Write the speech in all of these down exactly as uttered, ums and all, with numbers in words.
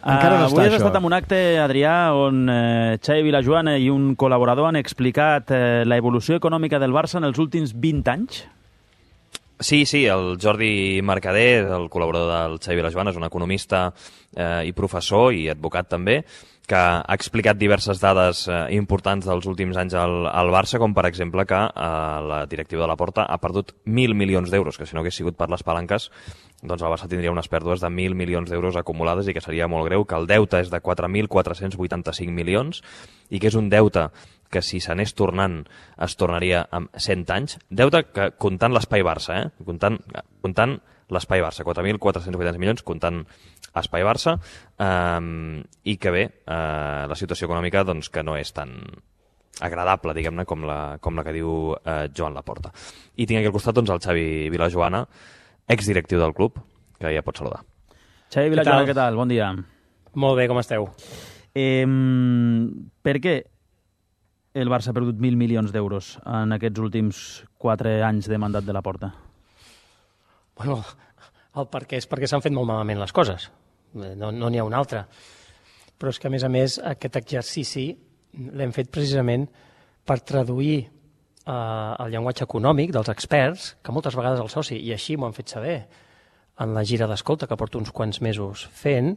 Encara no està, Avui has això. estat en un acte, Adrià, on eh, Xavi Vilajoana i un col·laborador han explicat eh, la evolució econòmica del Barça en els últims vint anys. Sí, sí, el Jordi Mercader, el col·laborador del Xavi Vilajoana, és un economista eh, i professor i advocat també, que ha explicat diverses dades eh, importants dels últims anys al, al Barça, com per exemple que eh, la directiva de la Porta ha perdut mil milions d'euros, que si no hagués sigut per les palanques, doncs el Barça tindria unes pèrdues de mil milions d'euros acumulades i que seria molt greu, que el deute és de quatre mil quatre-cents vuitanta-cinc milions i que és un deute que si s'anés tornant es tornaria amb cent anys. Deute que, comptant l'espai Barça, eh? comptant, comptant l'espai Barça, quatre mil quatre-cents vuitanta milions, comptant espai Barça, eh, i que bé, eh, la situació econòmica doncs, que no és tan agradable, diguem-ne, com, la, com la que diu eh, Joan Laporta. I tinc aquí al costat doncs, el Xavi Vilajoana, exdirectiu del club, que ja pot saludar. Xavi Vilajoana, què tal? Bon dia. Molt bé, com esteu? Eh, per què el Barça ha perdut mil milions d'euros en aquests últims quatre anys de mandat de la Porta? Bueno, el per què és perquè s'han fet molt malament les coses. No no n'hi ha un altre. Però és que, a més a més, aquest exercici l'hem fet precisament per traduir eh, el llenguatge econòmic dels experts, que moltes vegades el soci, i així m'ho han fet saber en la gira d'escolta que porto uns quants mesos fent,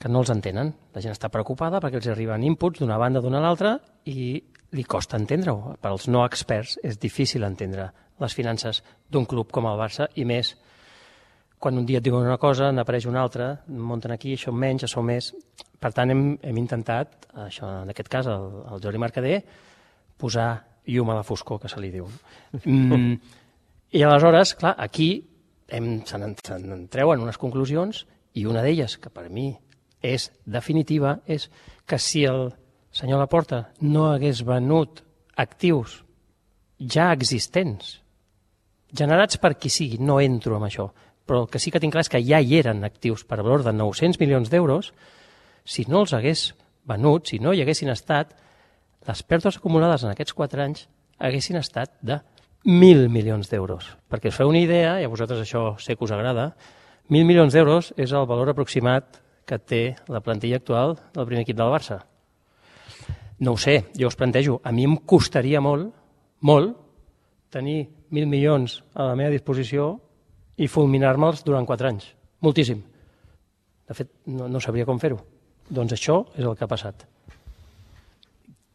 que no els entenen. La gent està preocupada perquè els arriben inputs d'una banda d'una a l'altra i li costa entendre-ho. Per als no experts és difícil entendre les finances d'un club com el Barça, i més quan un dia et diuen una cosa, n'apareix una altra, munten aquí, això menys, això més. Per tant, hem, hem intentat, això, en aquest cas, el, el Jordi Mercader, posar llum a la foscor, que se li diu. Mm, I aleshores, clar, aquí hem, se n'en treuen unes conclusions, i una d'elles, que per mi és definitiva, és que si el senyor Laporta no hagués venut actius ja existents, generats per qui sigui, no entro en això, però el que sí que tinc clar és que ja hi eren actius per valor de nou-cents milions d'euros, si no els hagués venut, si no hi haguessin estat, les pèrdues acumulades en aquests quatre anys haguessin estat de mil milions d'euros. Perquè us feu una idea, i a vosaltres això sé que us agrada, mil milions d'euros és el valor aproximat que té la plantilla actual del primer equip del Barça. No ho sé, jo us plantejo, a mi em costaria molt, molt, tenir mil milions a la meva disposició i fulminar-me'ls durant quatre anys. Moltíssim. De fet, no, no sabria com fer-ho. Doncs això és el que ha passat.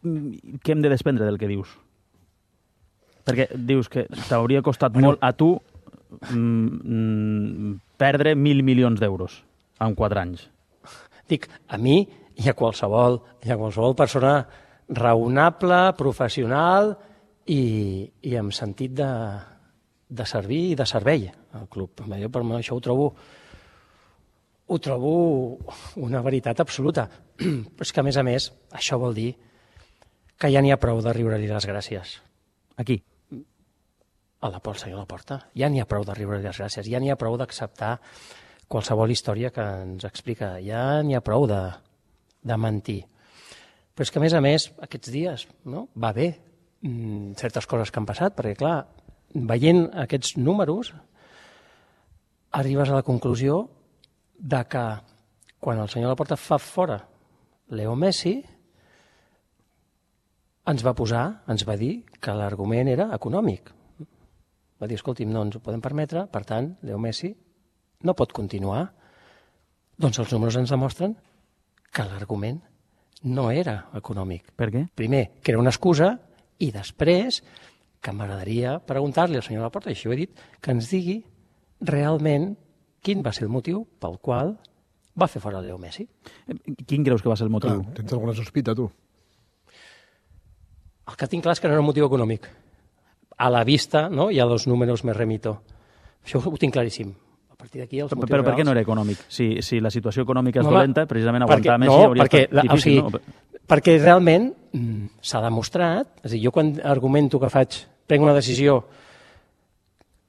Què hem de desprendre del que dius? Perquè dius que t'hauria costat bueno. molt a tu mm, perdre mil milions d'euros en quatre anys. Dic, a mi i a qualsevol, i a qualsevol persona raonable, professional i, i amb sentit de, de servir i de servei al club. Jo per mi això ho trobo, ho trobo una veritat absoluta. Però és que, a més a més, això vol dir que ja n'hi ha prou de riure-li les gràcies. Aquí? A la Porta, senyor Laporta. Ja n'hi ha prou de riure-li les gràcies. Ja n'hi ha prou d'acceptar qualsevol història que ens explica. Ja n'hi ha prou de, de mentir. Però és que, a més a més, aquests dies no? va bé mm, certes coses que han passat, perquè, clar, veient aquests números, arribes a la conclusió de que quan el senyor Laporta fa fora Leo Messi, ens va posar, ens va dir que l'argument era econòmic. Va dir, escolti'm, no ens ho podem permetre, per tant, Leo Messi no pot continuar. Doncs els números ens demostren que l'argument no era econòmic. Per què? Primer, que era una excusa, i després, que m'agradaria preguntar-li al senyor Laporta, i així ho he dit, que ens digui realment quin va ser el motiu pel qual va fer fora Leo Messi. Quin creus que va ser el motiu? Clar, tens alguna sospita, tu? El que tinc clar és que no era un motiu econòmic. A la vista, no? I a los números me remito. Això ho tinc claríssim. A partir d'aquí els motius Però per reals... què no era econòmic? Si, si la situació econòmica és no, dolenta, precisament aguantar perquè, Messi no, hauria perquè, estat difícil, o sigui, no? Perquè realment mm, s'ha demostrat, és a dir, jo quan argumento que faig, prenc una decisió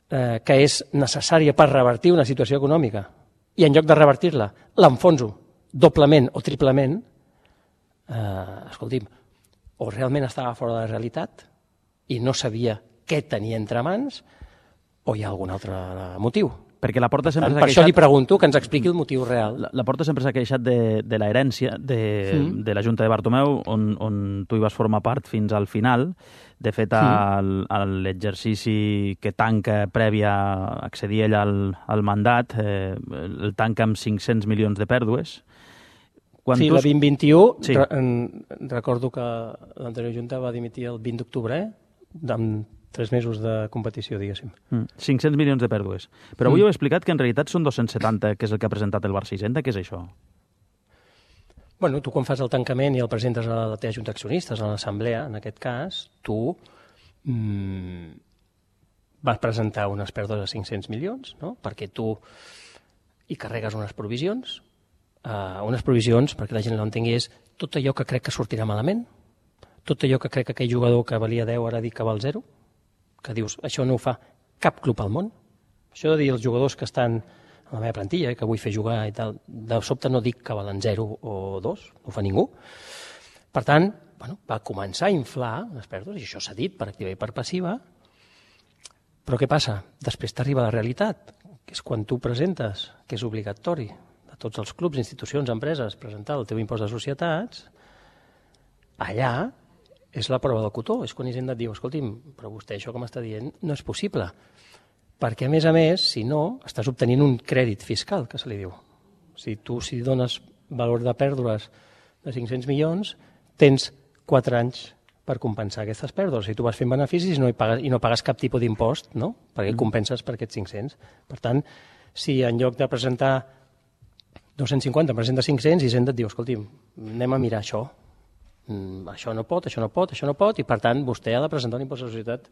eh, que és necessària per revertir una situació econòmica i en lloc de revertir-la l'enfonso doblement o triplement, eh, escolti'm, o realment estava fora de la realitat i no sabia què tenia entre mans, o hi ha algun altre motiu. Perquè la Porta sempre s'ha Per queixat... això li pregunto que ens expliqui el motiu real. La, la Porta sempre s'ha queixat de, de la herència de, mm. de la Junta de Bartomeu, on, on tu hi vas formar part fins al final. De fet, mm. l'exercici que tanca prèvia a accedir ell al, al mandat, eh, el tanca amb cinc-cents milions de pèrdues. Quan sí, tu... la vint vint-i-u, sí. re recordo que l'anterior Junta va dimitir el vint d'octubre, eh? amb tres mesos de competició, diguéssim. Mm, cinc-cents milions de pèrdues. Però avui mm. heu explicat que en realitat són dos-cents setanta, que és el que ha presentat el Barça Hisenda. Què és això? Bueno, tu quan fas el tancament i el presentes a la teva junta d'accionistes, a l'assemblea, en aquest cas, tu mm, vas presentar unes pèrdues de cinc-cents milions, no? Perquè tu hi carregues unes provisions, uh, unes provisions, perquè la gent no entengui, és tot allò que crec que sortirà malament, tot allò que crec que aquell jugador que valia deu ara dic que val zero, que dius, això no ho fa cap club al món. Això de dir els jugadors que estan a la meva plantilla, que vull fer jugar i tal, de sobte no dic que valen zero o dos, no ho fa ningú. Per tant, bueno, va començar a inflar les pèrdues, i això s'ha dit per activa i per passiva, però què passa? Després t'arriba la realitat, que és quan tu presentes, que és obligatori de tots els clubs, institucions, empreses, presentar el teu impost de societats, allà és la prova del cotó, és quan Hisenda et diu, escolti'm, però vostè això que m'està dient no és possible, perquè a més a més, si no, estàs obtenint un crèdit fiscal, que se li diu. Si tu si dones valor de pèrdues de cinc-cents milions, tens quatre anys per compensar aquestes pèrdues. Si tu vas fent beneficis i no, hi pagues, i no pagues cap tipus d'impost, no? Perquè compenses per aquests cinc-cents. Per tant, si en lloc de presentar dos-cents cinquanta presenta cinc-cents, Hisenda et diu, escolti'm, anem a mirar això, Mm, això no pot, això no pot, això no pot, i per tant vostè ha de presentar un impost de societat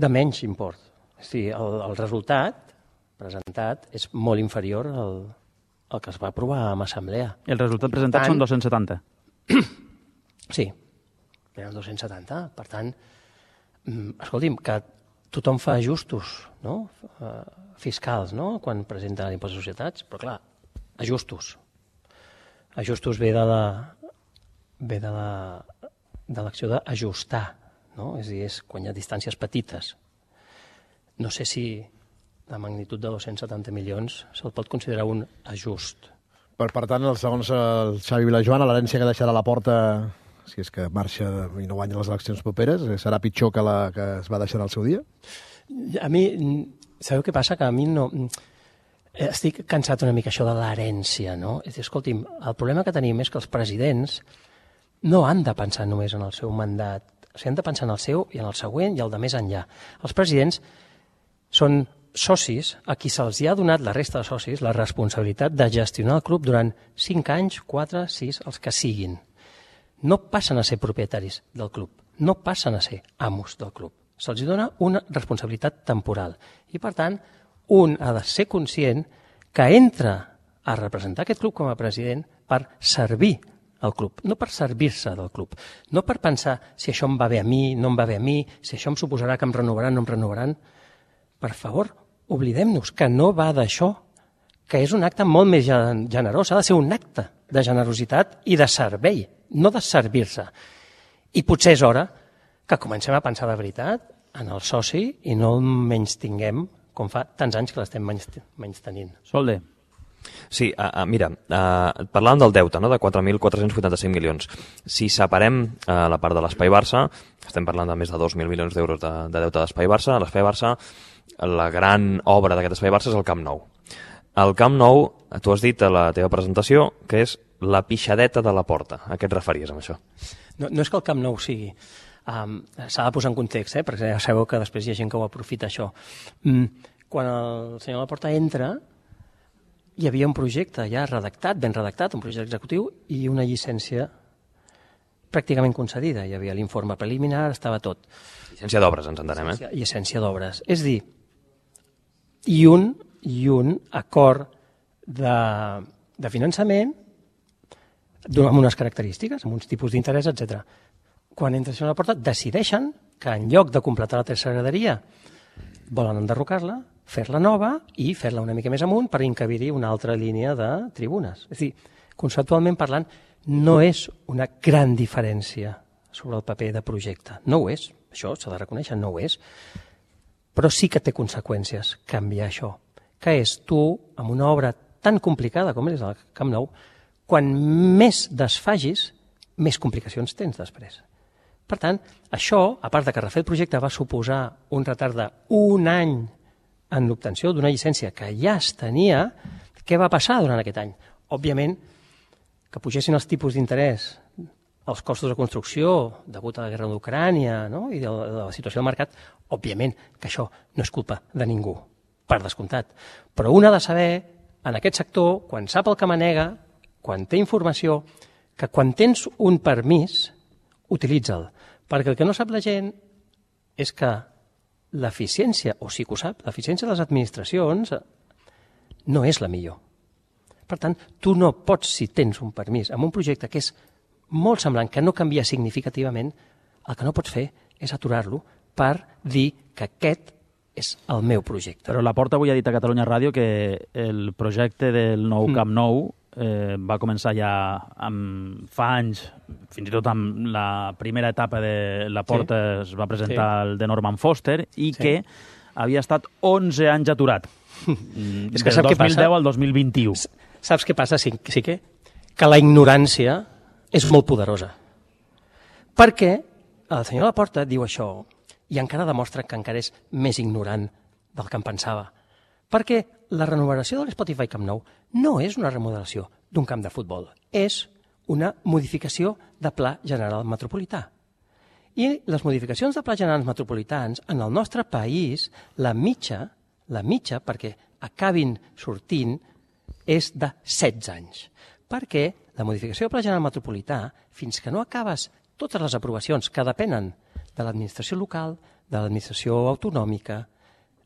de menys import. O sigui, el, el resultat presentat és molt inferior al, al que es va aprovar en assemblea. El resultat presentat tant, són dos-cents setanta. Sí, eren dos-cents setanta. Per tant, escolti'm, que tothom fa ajustos, no? fiscals, no? Quan presenta l'impost de societats, però clar, ajustos. Ajustos ve de la ve de l'acció la, de d'ajustar, no? És a dir, és quan hi ha distàncies petites. No sé si la magnitud de dos-cents setanta milions se'l pot considerar un ajust. Per, per tant, segons el Xavi Vilajoana, l'herència que deixarà a la Porta, si és que marxa i no guanya les eleccions properes, serà pitjor que la que es va deixar al seu dia? A mi, sabeu què passa? Que a mi no... Estic cansat una mica això de l'herència, no? És dir, escolti'm, el problema que tenim és que els presidents no han de pensar només en el seu mandat, o sigui, han de pensar en el seu i en el següent i el de més enllà. Els presidents són socis a qui se'ls ha donat, la resta de socis, la responsabilitat de gestionar el club durant cinc anys, quatre, sis, els que siguin. No passen a ser propietaris del club, no passen a ser amos del club. Se'ls dona una responsabilitat temporal i, per tant, un ha de ser conscient que entra a representar aquest club com a president per servir el club, no per servir-se del club, no per pensar si això em va bé a mi, no em va bé a mi, si això em suposarà que em renovaran, no em renovaran. Per favor, oblidem-nos que no va d'això, que és un acte molt més generós, ha de ser un acte de generositat i de servei, no de servir-se. I potser és hora que comencem a pensar de veritat en el soci i no el menys tinguem, com fa tants anys que l'estem menys, menys tenint. Solde. Sí, uh, uh, mira, uh, parlàvem del deute, no?, de quatre mil quatre-cents vuitanta-cinc milions. Si separem uh, la part de l'Espai Barça, estem parlant de més de dos mil milions d'euros de, de deute d'Espai Barça. L'Espai Barça, la gran obra d'aquest Espai Barça és el Camp Nou. El Camp Nou, tu has dit a la teva presentació, que és la pixadeta de la Porta. A què et referies amb això? No, no és que el Camp Nou sigui... Um, s'ha de posar en context, eh? Perquè ja sabeu que després hi ha gent que ho aprofita, això. Mm, quan el senyor Laporta entra, hi havia un projecte ja redactat, ben redactat, un projecte executiu i una llicència pràcticament concedida. Hi havia l'informe preliminar, estava tot. Llicència d'obres, ens entenem, eh? Llicència, llicència d'obres. És dir, i un, i un acord de, de finançament amb unes característiques, amb uns tipus d'interès, etcètera. Quan entra a la Porta, decideixen que en lloc de completar la tercera graderia volen enderrocar-la, fer-la nova i fer-la una mica més amunt per encabir-hi una altra línia de tribunes. És a dir, conceptualment parlant, no és una gran diferència sobre el paper de projecte. No ho és, això s'ha de reconèixer, no ho és. Però sí que té conseqüències canviar això. que és tu, amb una obra tan complicada com és el Camp Nou, quan més desfagis, més complicacions tens després. Per tant, això, a part de que refer el projecte va suposar un retard d'un any en l'obtenció d'una llicència que ja es tenia, què va passar durant aquest any? Òbviament, que pugessin els tipus d'interès, els costos de construcció degut a la guerra d'Ucrània, no? I de la, de la situació del mercat, òbviament que això no és culpa de ningú, per descomptat. Però un ha de saber, en aquest sector, quan sap el que manega, quan té informació, que quan tens un permís, utilitza'l. Perquè el que no sap la gent és que l'eficiència, o sí que ho sap, l'eficiència de les administracions no és la millor. Per tant, tu no pots, si tens un permís, amb un projecte que és molt semblant, que no canvia significativament, el que no pots fer és aturar-lo per dir que aquest és el meu projecte. Però Laporta avui ha dit a Catalunya Ràdio que el projecte del nou Camp Nou eh, va començar ja amb, fa anys, fins i tot amb la primera etapa de Laporta sí. es va presentar sí. el de Norman Foster, i sí. que havia estat onze anys aturat. És que del dos mil deu al dos mil vint-i-u. Saps què passa, sí, sí que? Que la ignorància és molt poderosa. Perquè el senyor Laporta diu això i encara demostra que encara és més ignorant del que em pensava. Perquè la renovació de l'Spotify Camp Nou no és una remodelació d'un camp de futbol, és una modificació de pla general metropolità. I les modificacions de plans generals metropolitans en el nostre país, la mitja, la mitja perquè acabin sortint, és de setze anys. Perquè la modificació del pla general metropolità, fins que no acabes totes les aprovacions que depenen de l'administració local, de l'administració autonòmica,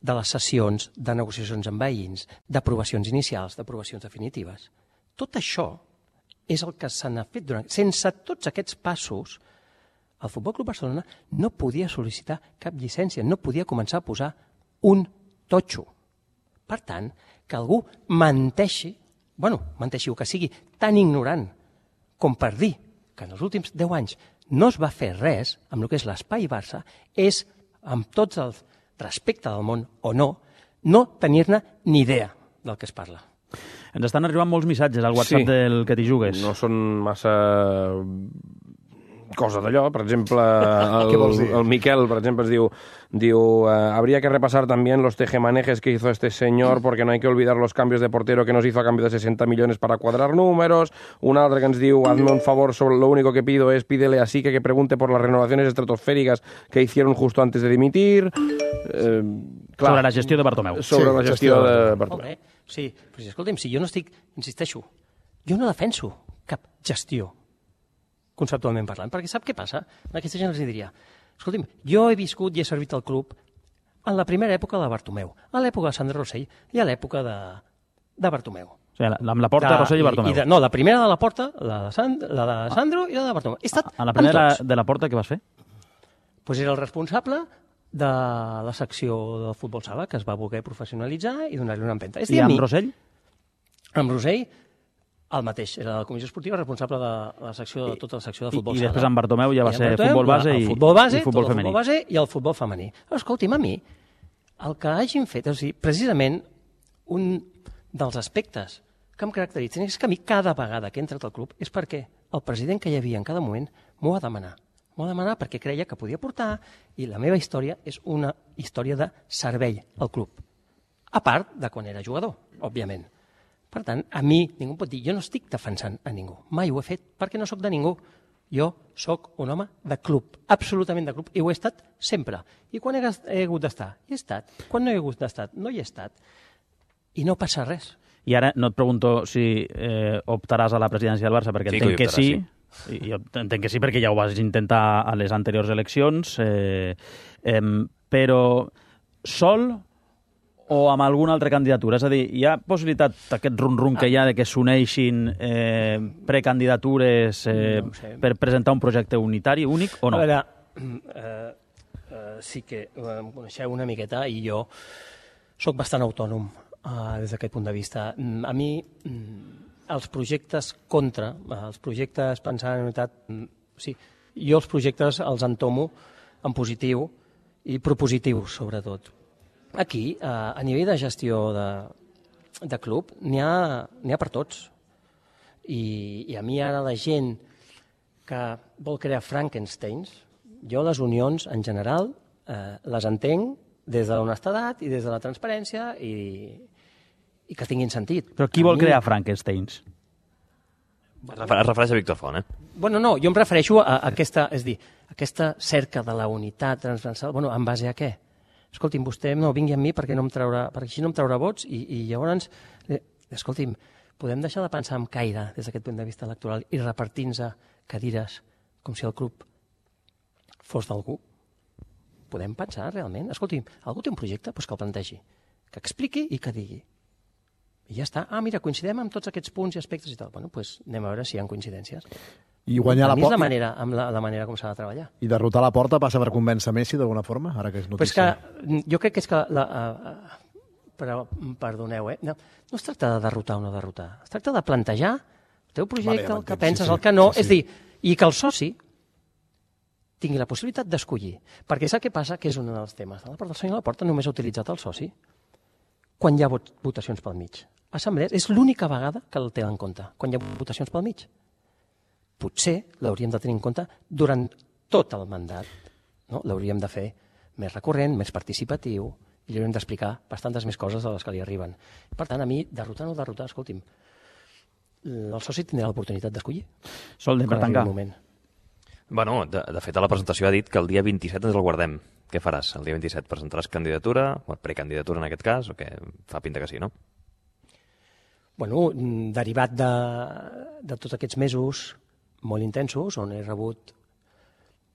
de les sessions, de negociacions amb veïns, d'aprovacions inicials, d'aprovacions definitives. Tot això és el que se n'ha fet durant... Sense tots aquests passos, el Futbol Club Barcelona no podia sol·licitar cap llicència, no podia començar a posar un totxo. Per tant, que algú menteixi, bueno, menteixi o que sigui tan ignorant com per dir que en els últims deu anys no es va fer res amb el que és l'Espai Barça, és, amb tots el respecte del món o no, no tenir-ne ni idea del que es parla. Ens estan arribant molts missatges al WhatsApp sí. del que t'hi jugues. No són massa coses d'allò. Per exemple, el, el Miquel, per exemple, es diu, diu uh, habría que repasar también los tejemanejes que hizo este señor porque no hay que olvidar los cambios de portero que nos hizo a cambio de sesenta millones para cuadrar números. Un altre que ens diu, hazme un favor, sobre lo único que pido es pídele así que que pregunte por las renovaciones estratosféricas que hicieron justo antes de dimitir. Eh, clar, sobre la gestió de Bartomeu. Sobre sí, la gestió de Bartomeu. Sí, però si, escolta'm, si jo no estic, insisteixo, jo no defenso cap gestió, conceptualment parlant, perquè sap què passa? Aquesta gent els diria, escolta'm, jo he viscut i he servit al club en la primera època de Bartomeu, a l'època de Sandro Rossell i a l'època de, de Bartomeu. O sigui, amb la Porta, de, Rossell i Bartomeu. I de, no, la primera de la Porta, la de, San, la de Sandro i la de Bartomeu. He estat a la primera de la Porta què vas fer? Pues era el responsable de la secció del futbol sala, que es va voler professionalitzar i donar-li una empenta. I amb Rossell? Amb Rossell, el mateix. Era la comissió esportiva responsable de la secció de tota la secció de futbol I, sala. I després amb Bartomeu ja va ser Bartomeu, futbol base i, futbol base, i futbol femení. El futbol base i el futbol femení. Escolti'm, a mi, el que hagin fet, o sigui, precisament un dels aspectes que em caracteritzen és que a mi cada vegada que he entrat al club és perquè el president que hi havia en cada moment m'ho ha demanat. M'ho ha demanat perquè creia que podia portar i la meva història és una història de servei al club. A part de quan era jugador, òbviament. Per tant, a mi ningú pot dir, jo no estic defensant a ningú. Mai ho he fet perquè no sóc de ningú. Jo sóc un home de club, absolutament de club, i ho he estat sempre. I quan he, he hagut d'estar? Hi he estat. Quan no he hagut d'estar? No hi he estat. I no passa res. I ara no et pregunto si eh, optaràs a la presidència del Barça, perquè sí, entenc que, que sí. sí. I jo entenc que sí, perquè ja ho vas intentar a les anteriors eleccions, eh, eh, però sol o amb alguna altra candidatura? És a dir, hi ha possibilitat d'aquest rum-rum que hi ha de que s'uneixin eh, precandidatures eh, no sé. per presentar un projecte unitari, únic, o no? A veure, eh, eh, sí que em coneixeu una miqueta i jo sóc bastant autònom eh, des d'aquest punt de vista. A mi els projectes contra, els projectes pensant en unitat, sí, jo els projectes els entomo en positiu i propositiu, sobretot. Aquí, a nivell de gestió de, de club n'hi ha, n'hi ha per tots. I, I a mi ara la gent que vol crear Frankensteins, jo les unions en general eh, les entenc des de l'honestedat i des de la transparència i, i que tinguin sentit. Però qui a vol mi... crear Frankensteins? Es refereix a Víctor Font, eh? Bueno, no, jo em refereixo a, a aquesta, és dir, aquesta cerca de la unitat transversal, bueno, en base a què? Escolti'm, vostè no vingui amb mi perquè, no em traurà, perquè així no em traurà vots i, i llavors, eh, escolti'm, podem deixar de pensar en caire des d'aquest punt de vista electoral i repartir-nos cadires com si el club fos d'algú? Podem pensar realment? Escolti'm, algú té un projecte? Doncs que el plantegi, que expliqui i que digui. I ja està. Ah, mira, coincidem amb tots aquests punts i aspectes i tal. Bueno, doncs anem a veure si hi ha coincidències. I guanyar la porta... porta... la manera, amb la, la manera com s'ha de treballar. I derrotar la porta passa per convèncer Messi d'alguna forma, ara que és Però és notícia. que jo crec que és que... La, uh, però, perdoneu, eh? No, no es tracta de derrotar o no derrotar. Es tracta de plantejar el teu projecte, Vale, el que sí, penses, sí, el que no. sí, sí. És dir, i que el soci tingui la possibilitat d'escollir. Perquè sap què passa? Que és un dels temes. De la porta, el senyor Laporta només ha utilitzat el soci quan hi ha vot votacions pel mig. Assemblees és l'única vegada que el té en compte, quan hi ha votacions pel mig. Potser l'hauríem de tenir en compte durant tot el mandat. No? L'hauríem de fer més recurrent, més participatiu, i li hauríem d'explicar bastantes més coses de les que li arriben. Per tant, a mi, derrotar o no derrotar, escolti'm, el soci tindrà l'oportunitat d'escollir. Solde, per tancar. Bueno, de, de fet, a la presentació ha dit que el dia vint-i-set ens el guardem. Què faràs? El dia vint-i-set presentaràs candidatura, o precandidatura en aquest cas, o què? Fa pinta que sí, no? Bueno, derivat de, de tots aquests mesos molt intensos, on he rebut,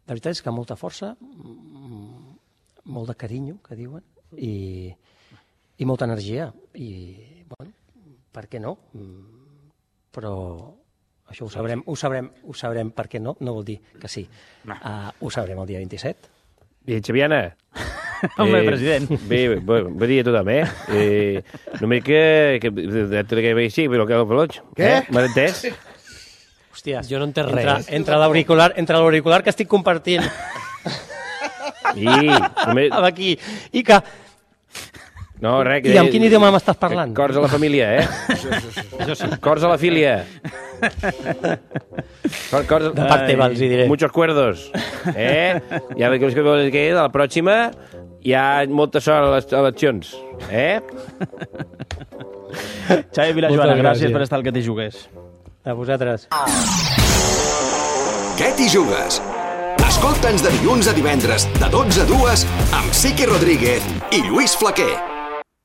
la veritat és que molta força, molt de carinyo, que diuen, i, i molta energia. I, bueno, per què no? Però això ho sabrem, ho sabrem, ho sabrem per què no, no vol dir que sí. Uh, ho sabrem el dia vint-i-set. I Xaviana? Home, eh, president. Bé, bé, bé dia a tothom, eh? eh només que... que, que, que veig, sí, però que el peloig. Què? Eh? M'has entès? Hòstia, jo no entenc entre, res. Entre l'auricular entre l'auricular que estic compartint I, només... aquí i que... No, res, que... I amb quin idioma m'estàs parlant? Cors a la família, eh? Això sí. Cors a la filia. Cor, cors... De part teva, els hi diré. Muchos cuerdos. Eh? Ja veig que vols que de la pròxima hi ha molta sort a les eleccions. Eh? Xavi Vilajoana, Moltes gràcies gràcies. per estar al Que t'hi jugués. A vosaltres. Què t'hi jugues? Escolta'ns de dilluns a divendres, de dotze a dues, amb Sique Rodríguez i Lluís Flaquer.